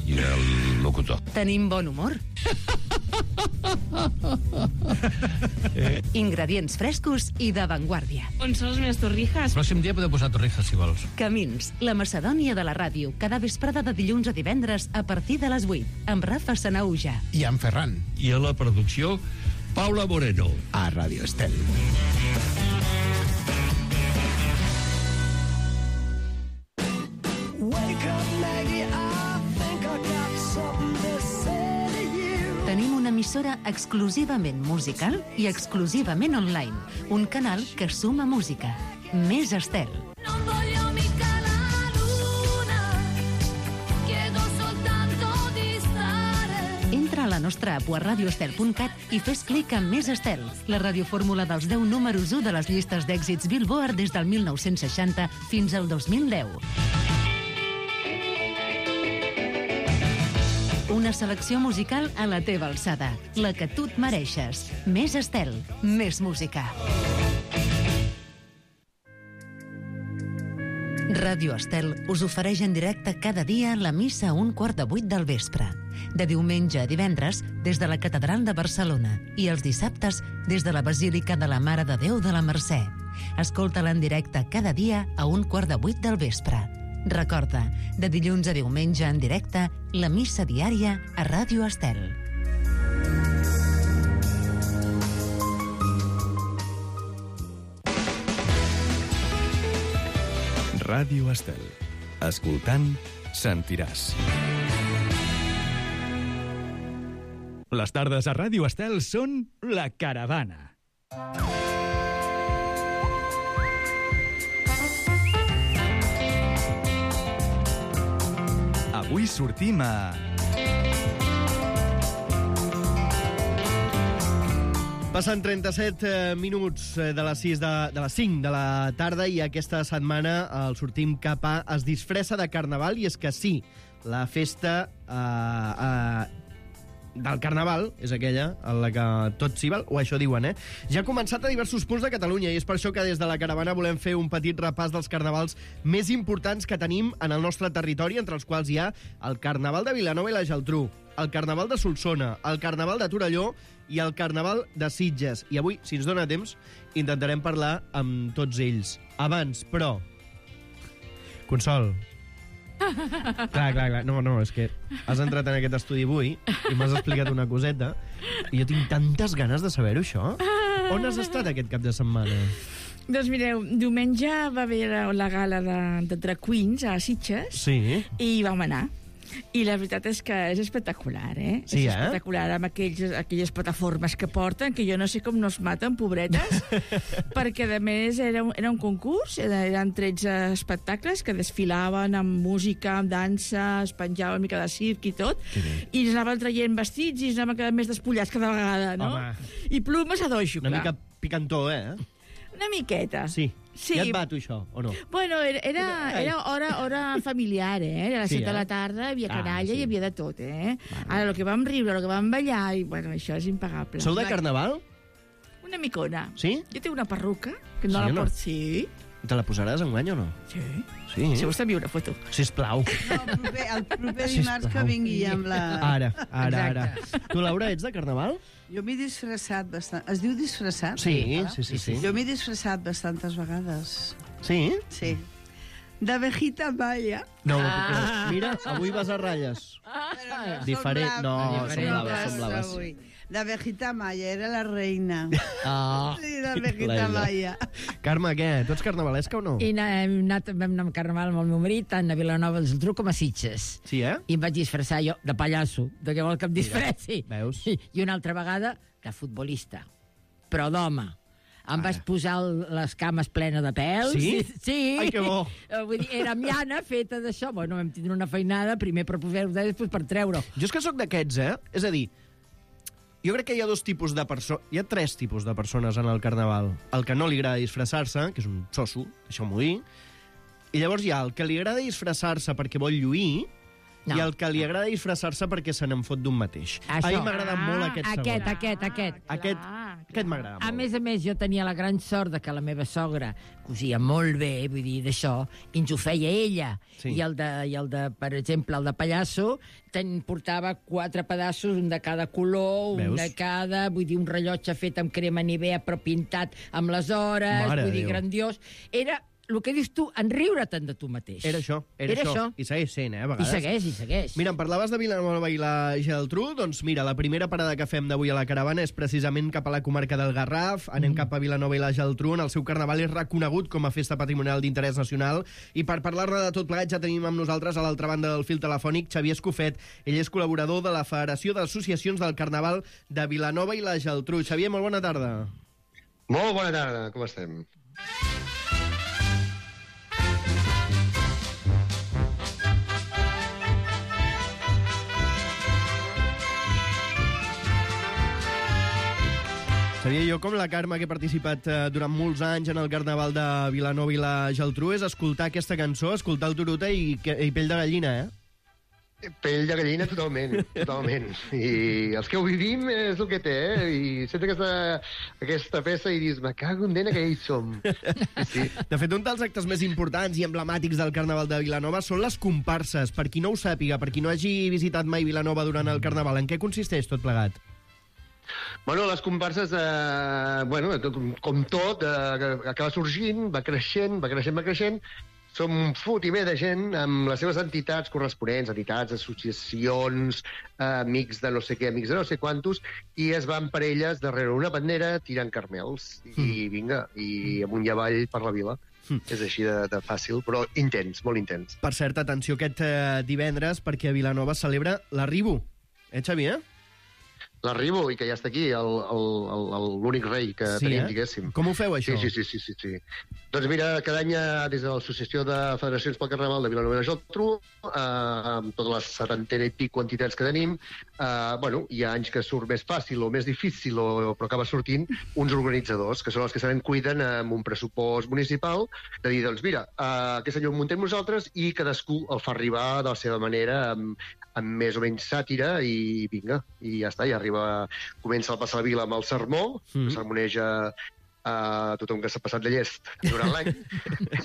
i del locutor. Tenim bon humor. Ingredients frescos i d'avantguàrdia. On són les meves torrijas? Pròxim dia podeu posar torrijas, si vols. Camins, la Macedònia de la ràdio, cada vesprada de dilluns a divendres a partir de les vuit, amb Rafa Sanauja. I en Ferran. I a la producció, Paula Moreno. A Ràdio Estel. Tenim una emissora exclusivament musical i exclusivament online. Un canal que suma música. Més Estel. Entra a la nostra app o a radioestel punt cat i fes clic en Més Estel, la radiofórmula dels deu números u de les llistes d'èxits Billboard des del mil nou-cents seixanta fins al dos mil deu. Una selecció musical a la teva alçada, la que tu et mereixes. Més Estel, més música. Ràdio Estel us ofereix en directe cada dia la missa a un quart de vuit del vespre. De diumenge a divendres, des de la Catedral de Barcelona, i els dissabtes, des de la Basílica de la Mare de Déu de la Mercè. Escolta-la en directe cada dia a un quart de vuit del vespre. Recorda, de dilluns a diumenge en directe, la missa diària a Ràdio Estel. Ràdio Estel. Escoltant, sentiràs. Les tardes a Ràdio Estel són La Caravana. Avui sortim a... Passen trenta-set eh, minuts eh, de les sis de, de les cinc de la tarda i aquesta setmana el sortim cap a Es disfressa de Carnaval, i és que sí, la festa eh, eh, del Carnaval, és aquella en la que tot s'hi val, o això diuen, eh? Ja ha començat a diversos punts de Catalunya i és per això que des de la caravana volem fer un petit repàs dels carnavals més importants que tenim en el nostre territori, entre els quals hi ha el Carnaval de Vilanova i la Geltrú, el Carnaval de Solsona, el Carnaval de Torelló i el Carnaval de Sitges. I avui, si ens dona temps, intentarem parlar amb tots ells. Abans, però... Consol. Clar, clar, clar. No, no, és que has entrat en aquest estudi avui i m'has explicat una coseta i jo tinc tantes ganes de saber-ho, això. On has estat aquest cap de setmana? Doncs mireu, diumenge va haver la gala de, de Drag Queens a Sitges. Sí. I hi vam anar. I la veritat és que és espectacular, eh? Sí, és eh? espectacular, amb aquells, aquelles plataformes que porten, que jo no sé com no es maten, pobretes, perquè, a més, era un, era un concurs, eren tretze espectacles que desfilaven amb música, amb dansa, es penjava una mica de circ i tot, i ens anaven traient vestits i ens anaven quedant més despullats cada vegada, no? Home. I plumes a doixo, Una clar. mica picantó, eh? Una miqueta. Sí. Sí. Ja et va, tu, això, o no? Bueno, era, era, era hora, hora familiar, eh? A les Sí, set de eh? la tarda hi havia Ah, canalla, sí. hi havia de tot, eh? Ara, el que vam riure, el que vam ballar, i, bueno, això és impagable. Sou de Carnaval? Una micona. Sí? Jo tinc una perruca, que no Sí la o no? porto... Sí. Te la posaràs enguany o no? Sí. Sí. Si vols t'envio una foto. Sisplau. No, el proper, el proper Sisplau. dimarts que vingui amb la... Ara, ara, ara. Tu, Laura, ets de Carnaval? Jo m'he disfressat bastant... Es diu disfressat? Sí, sí, sí, sí. Jo m'he disfressat bastantes vegades. Sí? Sí. De Vejita Maya. No, ah. Mira, avui vas a ratlles. Ah, Diferent. No, són blaves, són blaves. Avui. De Vejita Maya, era la reina. Oh. Sí, de Vejita Maya. Carme, què? Tu ets carnavalesca o no? I na- hem anat, vam anar amb Carnaval amb el meu marit, tant a Vilanova i la Geltrú com a Sitges. Sí, eh? I em vaig disfressar jo de pallasso, de què vol que em disfressi. Veus? I, I una altra vegada de futbolista, però d'home. Em vaig posar el, les cames plenes de pèls. Sí? Sí. Ai, que bo. Eh, Vull dir, era llana feta d'això. Bueno, vam tindre una feinada, primer per poder-ho, després per treure-ho. Jo és que sóc d'aquests, eh? És a dir, jo crec que hi ha dos tipus de persones... Hi ha tres tipus de persones en el Carnaval. El que no li agrada disfressar-se, que és un xosso, deixeu-m'ho dir. I llavors hi ha el que li agrada disfressar-se perquè vol lluir, No. i el que li agrada disfressar-se perquè se n'en fot d'un mateix. Això. A mi m'agrada molt aquest segon. Aquest, aquest, aquest. Aquest, aquest m'agrada A molt. més a més, jo tenia la gran sort de que la meva sogra cosia molt bé, vull dir, d'això, i ens ho feia ella. Sí. I, el de, I el de, per exemple, el de pallasso, ten, portava quatre pedaços, un de cada color, un Veus? de cada, vull dir, un rellotge fet amb crema Nivea, però pintat amb les hores, Mare vull dir, de Déu. grandiós. Era el que dius tu, enriure-te'n de tu mateix. Era això, era, Era això. això. I segueix sent, eh, a I vegades. segueix, i segueix. Mira, em parlaves de Vilanova i la Geltrú, doncs mira, la primera parada que fem d'avui a la caravana és precisament cap a la comarca del Garraf, anem mm. cap a Vilanova i la Geltrú, on el seu carnaval és reconegut com a festa patrimonial d'interès nacional, i per parlar-ne de tot plegat ja tenim amb nosaltres a l'altra banda del fil telefònic Xavier Escofet, ell és col·laborador de la Federació d'Associacions del Carnaval de Vilanova i la Geltrú. Xavier, molt bona tarda. Molt bona tarda, com estem? Xavier, jo com la Carme, que he participat eh, durant molts anys en el Carnaval de Vilanova i la Geltrú, és escoltar aquesta cançó, escoltar el Turuta i, que- i pell de gallina, eh? Pell de gallina totalment, totalment. I els que ho vivim és el que té, eh? I sents aquesta, aquesta peça i dius, me cago en dena que hi som. Sí. De fet, un dels actes més importants i emblemàtics del Carnaval de Vilanova són les comparses. Per qui no ho sàpiga, per qui no hagi visitat mai Vilanova durant el Carnaval, en què consisteix tot plegat? Bueno, les comparses, eh, bueno, com, com tot, eh, acaba sorgint, va creixent, va creixent, va creixent. Som un fotimer de gent amb les seves entitats corresponents, entitats, associacions, eh, amics de no sé què, amics de no sé quantos, i es van per elles darrere una bandera tirant carmels. I vinga, i amunt i avall per la vila. Mm. És així de, de fàcil, però intens, molt intens. Per cert, atenció aquest eh, divendres, perquè a Vilanova es celebra l'Arribo. Eh, Xavier? L'arribo, i que ja està aquí, el- el- el- l'únic rei que Sí, tenim, eh? diguéssim. Com ho feu, això? Sí, sí, sí, sí, sí, sí. Doncs mira, cada any eh, des de l'Associació de Federacions pel Carnaval de Vilanova i la Geltrú, eh, amb totes les setantena i pico entitats que tenim, Uh, bueno, hi ha anys que surt més fàcil o més difícil, o, però acaba sortint uns organitzadors, que són els que se'n cuiden amb un pressupost municipal, de dir, doncs mira, uh, aquest senyor ho muntem nosaltres i cadascú el fa arribar de la seva manera, amb, amb més o menys sàtira, i vinga, i ja està, i arriba, comença el Passar la Vila amb el sermó, mm. que sermoneja a tothom que s'ha passat de llest durant l'any.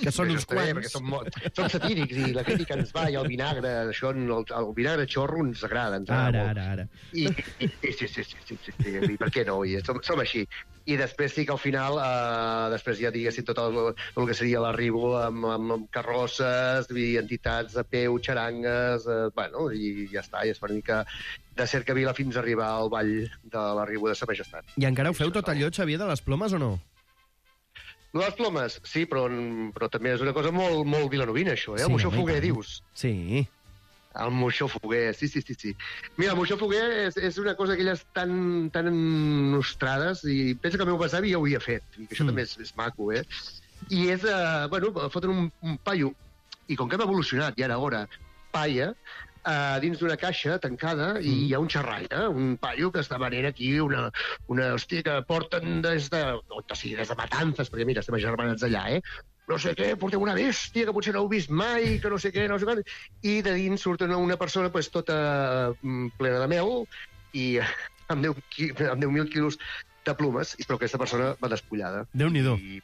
Que són uns quants. Perquè som, som satírics i la crítica ens va, i el vinagre, això, el, el vinagre xorro ens agrada. Ens agrada ara, ara, ara. I, i, i sí, sí, sí, sí, sí, sí, i per què no? I som, som així. I després sí que al final, eh, després ja diguéssim tot el, el que seria l'arribo amb, amb, amb carrosses, i entitats de peu, xarangues, eh, bueno, i ja està, i és una mica de Cercavila fins a arribar al ball de l'arribo de Sa Majestat. I encara ho feu tot allò, Xavier, de les plomes o no? Les plomes, sí, però, però també és una cosa molt, molt vilanovina, això, eh? Sí, el moixó foguer, dius? Sí. El moixó foguer, sí, sí, sí, sí. Mira, el moixó foguer és, és una cosa d'aquelles tan, tan nostrades, i penso que el meu besavi ja ho havia fet, i que això mm. també és, és maco, eh? I és, uh, bueno, foten un, un paio, i com que hem evolucionat, i ara, ara, paia, Uh, dins d'una caixa tancada, mm. i hi ha un xerraire, un paio que està venent aquí una, una hòstia que porten des de, no, sí, des de Matanzas, perquè mira, estem agermanats allà, eh? No sé què, portem una bèstia que potser no heu vist mai, que no sé què, no sé què, i de dins surt una, una persona pues, tota plena de mel, i amb deu mil quilos de plumes, però aquesta persona va despullada. Déu-n'hi-do. I...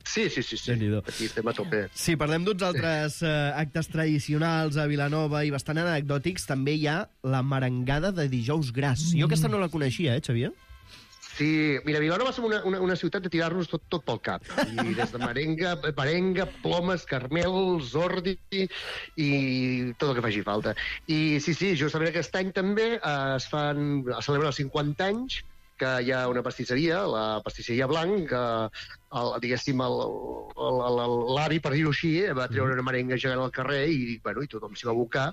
Sí, sí, sí, sí. Aquí estem a tope. Sí, parlem d'uns altres eh, actes tradicionals a Vilanova i bastant anecdòtics. També hi ha la merengada de Dijous Gras. Mm. Jo aquesta no la coneixia, eh, Xavier? Sí, mira, Vilanova som una, una, una ciutat de tirar-nos tot, tot pel cap. I des de merenga, merenga, plomes, carmels, ordi i tot el que faci falta. I sí, sí, justament aquest any també eh, es fan, es celebren els cinquanta anys, que hi ha una pastisseria, la pastisseria Blanc, que, el, diguéssim, l'avi, per dir-ho així, va treure una merenga gegant al carrer i, bueno, i tothom s'hi va abocar,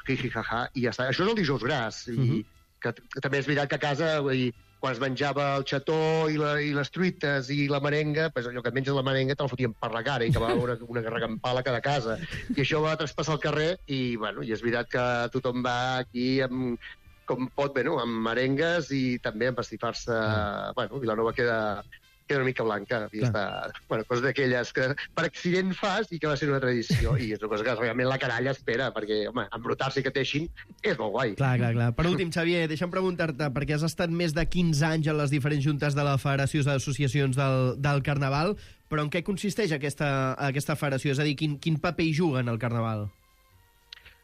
jijijaja, i ja està. Això és el Dijous Gras, i uh -huh. que, que també és veritat que a casa, vull dir, quan es menjava el xató i, la, i les truites i la merenga, pues allò que et menges la merenga te la fotien per la cara i acabava una, una regampala a cada casa. I això va traspassar el carrer i, bueno, i és veritat que tothom va aquí amb com pot, bueno, amb merengues i també amb pastifar-se... Ah. Bueno, Vilanova queda, queda una mica blanca. I està, bueno, coses d'aquelles que per accident fas i que va ser una tradició. I és una cosa que realment la canalla espera, perquè, home, embrutar-se i que teixin és molt guai. Clar, clar, clar. Per últim, Xavier, deixa'm preguntar-te, perquè has estat més de quinze anys en les diferents juntes de la Federació d'Associacions del, del Carnaval, però en què consisteix aquesta, aquesta federació? És a dir, quin, quin paper hi juga en el Carnaval?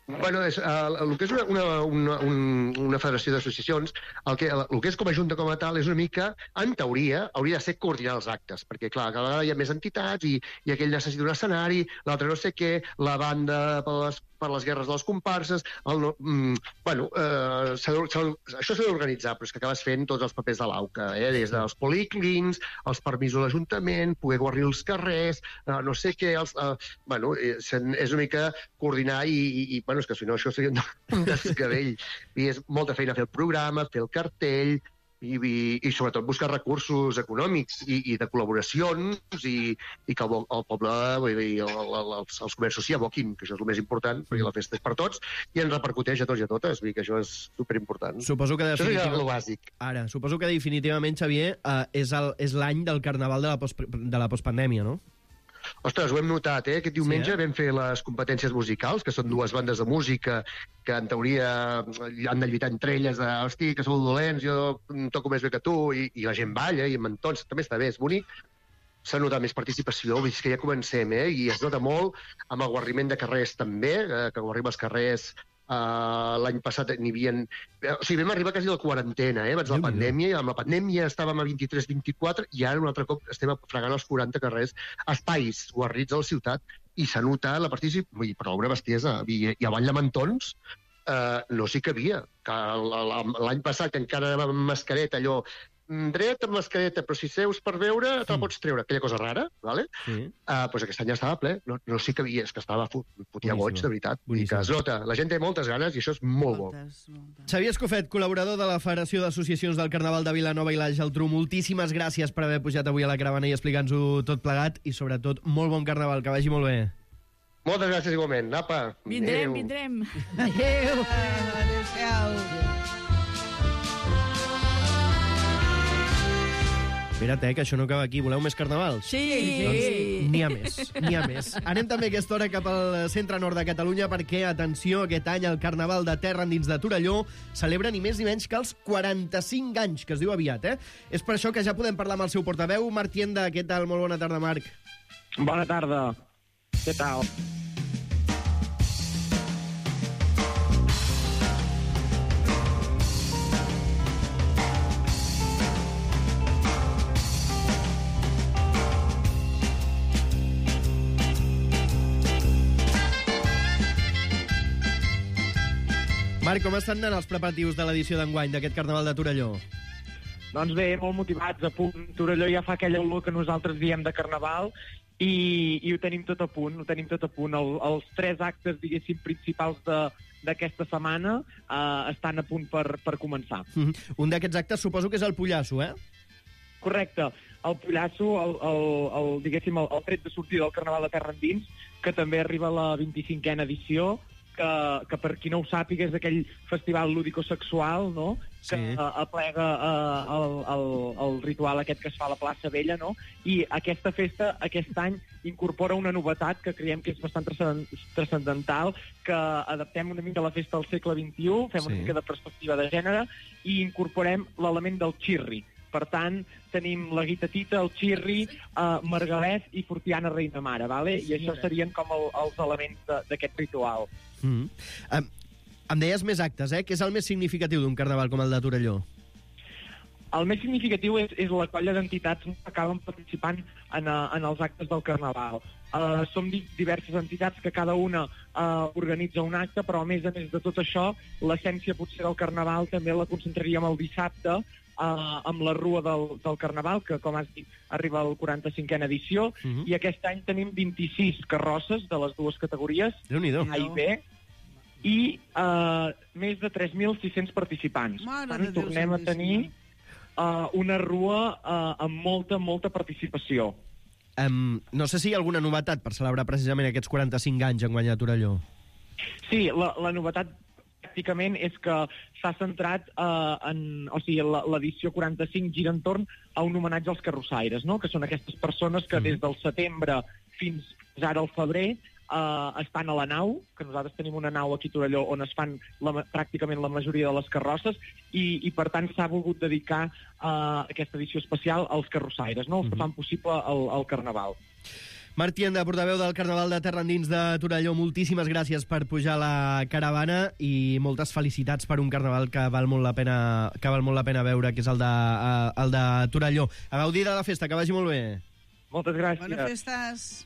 Bueno, és, uh, el que és una, una, una, una federació d'associacions, el, que, el que és com a junta com a tal és una mica, en teoria, hauria de ser coordinar els actes, perquè, clar, cada vegada hi ha més entitats i, i aquell necessita un escenari, l'altre no sé què, la banda per les, per les guerres de les comparses, el no, mm, bueno, eh, s'ha, s'ha, això s'ha d'organitzar, però és que acabes fent tots els papers de l'auca, eh, des dels policlins, els permisos de l'Ajuntament, poder guarrir els carrers, eh, no sé què, els, eh, bueno, és, és una mica coordinar i, i, i bueno, és que si no això seria un desgavell. I és molta feina fer el programa, fer el cartell, i, i, i sobretot buscar recursos econòmics i, i de col·laboracions i, i que el, el poble i el, el, els, els comerços s'hi aboquin, que això és el més important, perquè la festa és per tots i ens repercuteix a tots i a totes, vull dir que això és superimportant. Suposo que definitivament... Això és el bàsic. Ara, suposo que definitivament, Xavier, eh, és, el, és l'any del Carnaval de la, post, de la postpandèmia, no? Ostres, ho hem notat, eh? Aquest diumenge sí, eh? vam fer les competències musicals, que són dues bandes de música que, en teoria, han de lluitar entre elles de, hosti, que sou dolents, jo toco més bé que tu, i, i la gent balla, i amb entons, també està bé, és bonic. S'ha notat més participació, vull dir que ja comencem, eh? I es nota molt amb el guarriment de carrers també, eh, que guarrim els carrers. Uh, l'any passat n'hi havia... O sigui, vam arribar quasi a la quarantena, eh, abans de la pandèmia, i amb la pandèmia estàvem a vint-i-tres vint-i-quatre, i ara un altre cop estem fregant els quaranta carrers, espais guarrits a la ciutat, i s'ha notat la participació, vull dir, però una bestiesa, i, i a Vall de Mantons uh, no s'hi cabia, que l'any passat que encara anàvem amb mascareta, allò, dret amb mascareta, però si seus per veure te la pots treure, aquella cosa rara, ¿vale? Sí. Uh, pues aquest any ja estava ple, no, no sí que havia, és que estava fotia goig, de veritat. I que es nota, la gent té moltes ganes i això és molt moltes, bo. Moltes. Xavier Escofet, col·laborador de la Federació d'Associacions del Carnaval de Vilanova i la Geltrú, moltíssimes gràcies per haver pujat avui a la caravana i explicar-nos-ho tot plegat i, sobretot, molt bon Carnaval, que vagi molt bé. Moltes gràcies igualment. Apa. Vindrem, Adeu. vindrem. Adéu. Adéu. Adéu. Espera't, eh, que això no acaba aquí. Voleu més carnavals? Sí! Doncs n'hi ha més, n'hi ha més. Anem també aquesta hora cap al centre nord de Catalunya perquè, atenció, aquest any el Carnaval de Terra Endins de Torelló celebra ni més ni menys que els quaranta-cinc anys, que es diu aviat, eh? És per això que ja podem parlar amb el seu portaveu, Marc Tienda. Què tal? Molt bona tarda, Marc. Bona tarda. Què tal? Marc, com estan anant els preparatius de l'edició d'enguany d'aquest Carnaval de Torelló? Doncs bé, molt motivats. A punt. Torelló ja fa aquella olor que nosaltres diem de Carnaval i, i ho tenim tot a punt, ho tenim tot a punt. El, els tres actes, diguéssim, principals de, d'aquesta setmana eh, estan a punt per, per començar. Mm -hmm. Un d'aquests actes suposo que és el Pollasso, eh? Correcte. El Pollasso, el, el, el, diguéssim, el, el tret de sortida del Carnaval de Terra Endins, que també arriba a la vint-i-cinquena edició, que, que per qui no ho sàpiga és aquell festival lúdico-sexual, no?, que sí. uh, aplega uh, el, el, el ritual aquest que es fa a la plaça Vella, no?, i aquesta festa aquest any incorpora una novetat que creiem que és bastant transcendental, que adaptem una mica la festa al segle vint-i-u, fem sí. una mica de perspectiva de gènere i incorporem l'element del xirri. Per tant, tenim la guitatita, el xirri, uh, Margalès i Fortiana Reina Mare, vale? I això serien com el, els elements d'aquest ritual. Mm -hmm. um, em deies més actes, eh? Què és el més significatiu d'un carnaval com el de Torelló? El més significatiu és, és la colla d'entitats que acaben participant en, uh, en els actes del Carnaval. Uh, som di diverses entitats que cada una uh, organitza un acte, però a més a més de tot això, l'essència potser del Carnaval també la concentraríem el dissabte, uh, amb la Rua del, del Carnaval, que com has dit arriba a la quaranta-cinquena edició, uh-huh. i aquest any tenim vint-i-sis carrosses de les dues categories, A i B, i uh, més de tres mil sis-cents participants. Mare Tant, Déu, tornem a tenir uh, una rua uh, amb molta, molta participació. Um, no sé si hi ha alguna novetat per celebrar precisament aquests quaranta-cinc anys en guanyar Torelló. Sí, la, la novetat pràcticament és que s'ha centrat eh, en... O sigui, l'edició quaranta-cinc gira entorn a un homenatge als carrossaires, no?, que són aquestes persones que des del setembre fins ara al febrer eh, estan a la nau, que nosaltres tenim una nau aquí a Torelló on es fan la, pràcticament la majoria de les carrosses, i, i per tant s'ha volgut dedicar eh, aquesta edició especial als carrossaires, no?, els que fan possible el, el Carnaval. Marc Tienda, portaveu del Carnaval de Terra Endins de Torelló, moltíssimes gràcies per pujar a la caravana i moltes felicitats per un Carnaval que val molt la pena, que val molt la pena veure, que és el de, uh, el de Torelló. A gaudir de la festa, que vagi molt bé. Moltes gràcies. Bones festes.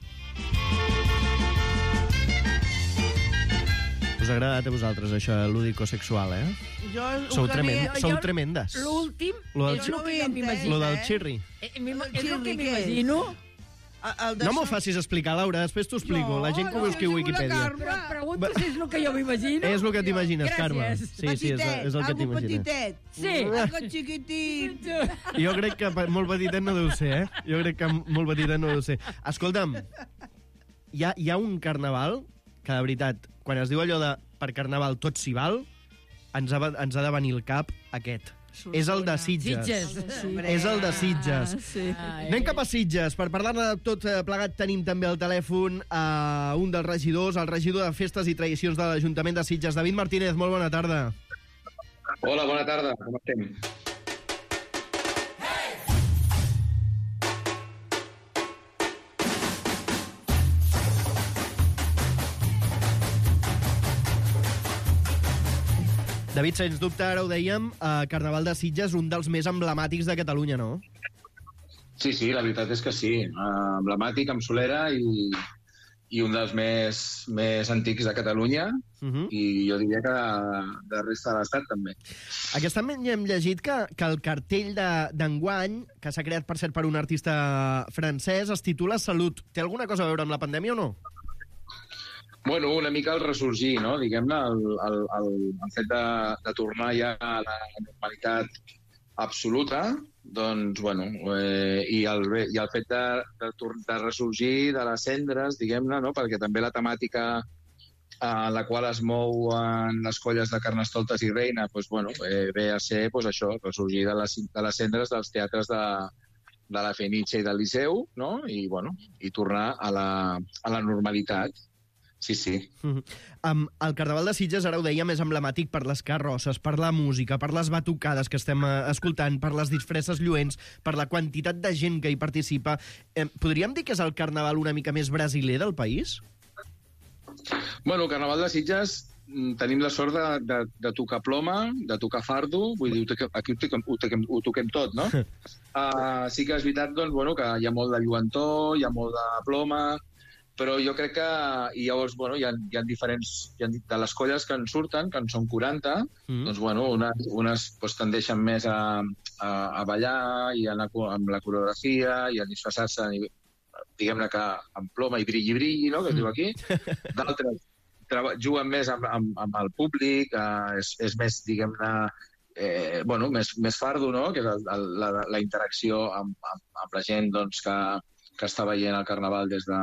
Us ha agradat a vosaltres, això, lúdico-sexual, eh? Jo, Sou, tremend, jo- sou jo- tremendes. L'últim Lo del és xi- el que jo m'imagino. Lo del xirri. Eh, m'ima- El És el xirri, que què és? m'imagino. El de No m'ho so- facis explicar, Laura, després t'ho explico. La gent que ho busqui a Wikipedia. Però pregunto si és el que jo m'imagino. És el que t'imagines, Gràcies. Carme. Sí, sí, és, Petitet, és el que algo t'imagines. petitet. Sí. Algo xiquitit. Jo crec que pa- molt petitet no deu ser, eh? Jo crec que molt petitet no deu ser. Escolta'm, hi ha, hi ha un carnaval que, de veritat, quan es diu allò de per carnaval tot s'hi val, ens ha, ens ha de venir al cap aquest. És el de Sitges. Sitges. Sí. És el de Sitges. Ah, sí. Anem cap a Sitges. Per parlar-ne de tot eh, plegat tenim també al telèfon a un dels regidors, el regidor de Festes i Tradicions de l'Ajuntament de Sitges, David Martínez. Molt bona tarda. Hola, bona tarda. Com estem? David, sens dubte, ara ho dèiem, eh, Carnaval de Sitges, un dels més emblemàtics de Catalunya, no? Sí, sí, la veritat és que sí. Uh, emblemàtic, amb solera i, i un dels més, més antics de Catalunya uh -huh. i jo diria que de, de resta de l'Estat també. Aquest any hem llegit que, que el cartell d'enguany, que s'ha creat, per cert, per un artista francès, es titula Salut. Té alguna cosa a veure amb la pandèmia o no? Bueno, una mica el ressorgir, no? Diguem-ne, el, el, el, el fet de, de tornar ja a la normalitat absoluta, doncs, bueno, eh, i, el, i el fet de, de, de ressorgir de les cendres, diguem-ne, no? Perquè també la temàtica en la qual es mouen les colles de Carnestoltes i Reina, doncs, bueno, eh, ve a ser doncs, això, ressorgir de les, de les cendres dels teatres de, de la Fenitxa i del Liceu, no? I, bueno, i tornar a la, a la normalitat. Sí, sí. Mm -hmm. um, el Carnaval de Sitges, ara ho dèiem, és emblemàtic per les carrosses, per la música, per les batucades que estem uh, escoltant, per les disfresses lluents, per la quantitat de gent que hi participa. Eh, podríem dir que és el Carnaval una mica més brasiler del país? Bueno, el Carnaval de Sitges tenim la sort de, de, de tocar ploma, de tocar fardo, vull dir, aquí ho toquem, ho toquem, ho toquem tot, no? uh, sí que és veritat, doncs, bueno, que hi ha molt de lluentor, hi ha molt de ploma, però jo crec que... I llavors, bueno, hi ha, hi ha diferents... Hi ha, de les colles que en surten, que en són quaranta, mm. doncs, bueno, unes, unes doncs, tendeixen més a, a, a ballar i a anar amb la coreografia i a disfressar-se, diguem-ne que amb ploma i brilli-brilli, no?, que es diu aquí. D'altres juguen més amb, amb, amb el públic, eh, és, és més, diguem-ne, eh, bueno, més, més fardo, no?, que és el, el, la, la interacció amb, amb, amb la gent, doncs, que, que està veient el Carnaval des de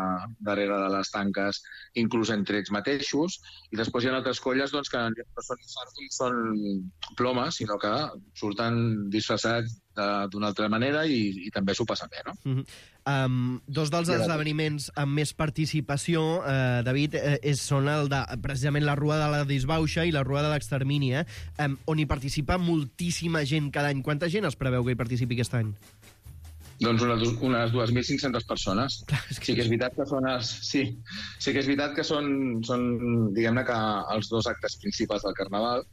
darrere de les tanques, inclús entre ells mateixos, i després hi ha altres colles, doncs, que no són fardo, són ploma, sinó que surten disfressats d'una altra manera i, i també s'ho passa bé, no? Mm -hmm. Um, dos dels esdeveniments amb més participació, eh, David, eh, és, són el de, precisament, la Rua de la Disbauxa i la Rua de l'Extermini, eh, um, on hi participa moltíssima gent cada any. Quanta gent es preveu que hi participi aquest any? Doncs unes, unes dos mil cinc-centes persones. Clar, és que... Sí que és veritat que són els, sí, sí que és veritat que són, són diguem-ne que els dos actes principals del Carnaval,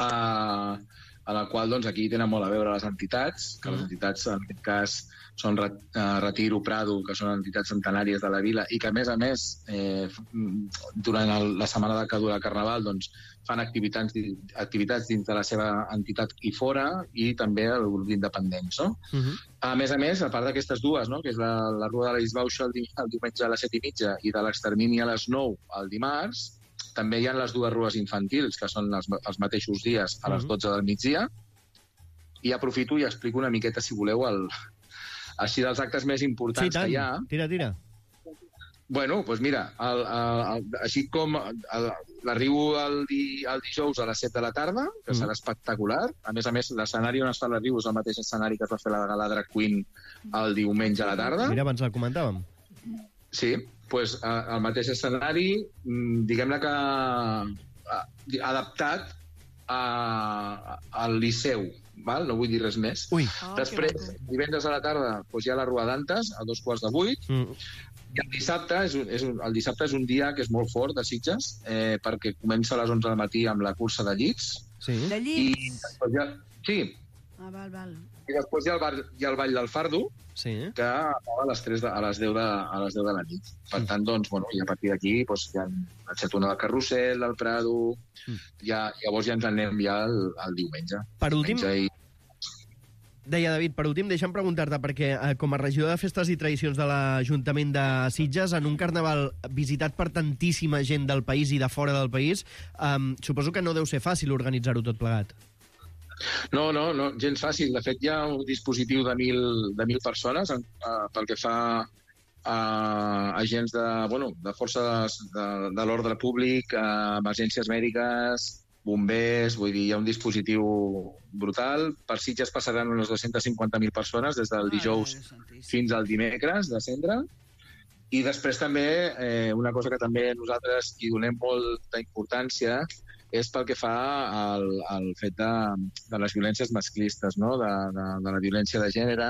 eh, a la qual, doncs, aquí tenen molt a veure les entitats, que les entitats, en aquest cas, són Retiro, Prado, que són entitats centenàries de la vila, i que, a més a més, eh, durant el, la setmana que dura el Carnaval, doncs, fan activitats, activitats dins de la seva entitat i fora, i també el grup d'independents, no? Uh-huh. A més a més, a part d'aquestes dues, no?, que és la, la Rua de la Disbauxa el, el diumenge a les set i mitja i de l'Extermini a les nou el dimarts, també hi ha les dues rues infantils, que són els, els mateixos dies a les dotze del migdia, i aprofito i explico una miqueta, si voleu, el, així dels actes més importants sí, que hi ha. Tira, tira. Bueno, doncs mira, el, el, el, així com l'arribo el, di, el dijous a les set de la tarda, que mm. serà espectacular. A més a més, l'escenari on es fa l'arribo és el mateix escenari que es va fer la gala Drag Queen el diumenge a la tarda. Mira, abans el comentàvem. Sí, doncs el mateix escenari, diguem-ne que adaptat a, al Liceu, val? No vull dir res més. Ui. Oh, després, divendres a la tarda, doncs hi ha la Rua d'Antes, a dos quarts de vuit, mm. i el dissabte, és un, és un, el dissabte és un dia que és molt fort de Sitges, eh, perquè comença a les onze del matí amb la cursa de llits. Sí. De llits? I, ja, sí. Ah, val, val. I després hi ha el, bar, hi ha el Ball del Fardo, sí. que acaba a les, tres de, a, les deu de, a les deu de la nit. Per mm. tant, doncs, bueno, i a partir d'aquí doncs, hi ha el Xatona del Carrusel, del Prado, mm. ja, llavors ja ens anem ja el, el diumenge. Per últim, i... deia David, per últim, deixa'm preguntar-te, perquè eh, com a regidor de Festes i Tradicions de l'Ajuntament de Sitges, en un carnaval visitat per tantíssima gent del país i de fora del país, eh, suposo que no deu ser fàcil organitzar-ho tot plegat. No, no, no, gens fàcil. De fet, hi ha un dispositiu de mil, de mil persones en, uh, pel que fa a agents de, bueno, de forces de, de l'ordre públic, uh, emergències mèdiques, bombers, vull dir, hi ha un dispositiu brutal. Per Sitges passaran unes dues-centes cinquanta mil persones des del dijous fins al dimecres de cendre. I després també, eh, una cosa que també nosaltres hi donem molta importància és pel que fa al, al fet de, de les violències masclistes, no? de, de, de la violència de gènere,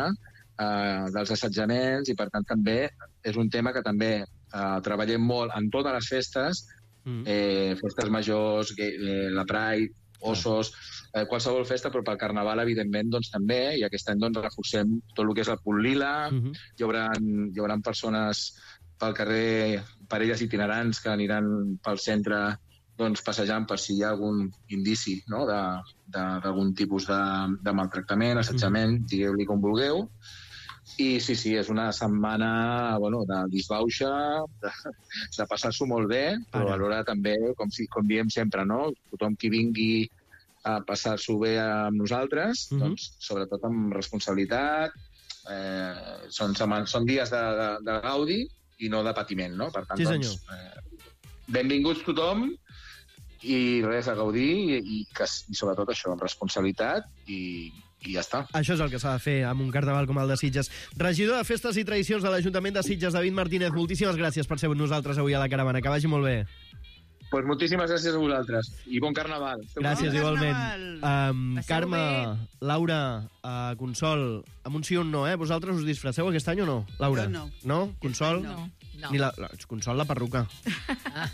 eh, dels assetjaments, i per tant també és un tema que també eh, treballem molt en totes les festes, eh, festes majors, eh, la Pride, Ossos, eh, qualsevol festa, però pel Carnaval, evidentment, doncs també, i aquest any doncs, reforcem tot el que és el punt lila, uh -huh. hi, haurà, hi haurà persones pel carrer, parelles itinerants que aniran pel centre doncs, passejant per si hi ha algun indici, no?, d'algun tipus de, de maltractament, assetjament, mm. digueu-li com vulgueu. I sí, sí, és una setmana, bueno, de disbauxa, de, de passar-s'ho molt bé, però Ara. alhora també, com, si, com diem sempre, no?, tothom qui vingui a passar-s'ho bé amb nosaltres, mm -hmm. doncs, sobretot amb responsabilitat, eh, són, són dies de, de, de gaudi i no de patiment, no? Per tant, sí, doncs, eh, benvinguts tothom, i res, a gaudir, i, i, que, i sobretot això, amb responsabilitat, i, i ja està. Això és el que s'ha de fer amb un carnaval com el de Sitges. Regidor de Festes i Tradicions de l'Ajuntament de Sitges, David Martínez, moltíssimes gràcies per ser amb nosaltres avui a la caravana. Que vagi molt bé. Pues moltíssimes gràcies a vosaltres. I bon carnaval. Gràcies, Bon igualment. carnaval. Um, Passeu Carme, bé. Laura, uh, Consol, amb un sí o un no, eh? Vosaltres us disfresseu aquest any o no? Laura? Jo no. No? Consol? No. No. Ni la, la, Consol, la perruca.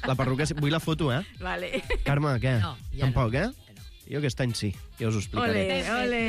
La perruca, sí. Vull la foto, eh? Vale. Carme, què? No, ja Tampoc, no. eh? Jo aquest any sí, ja us ho explicaré. Ole, ole.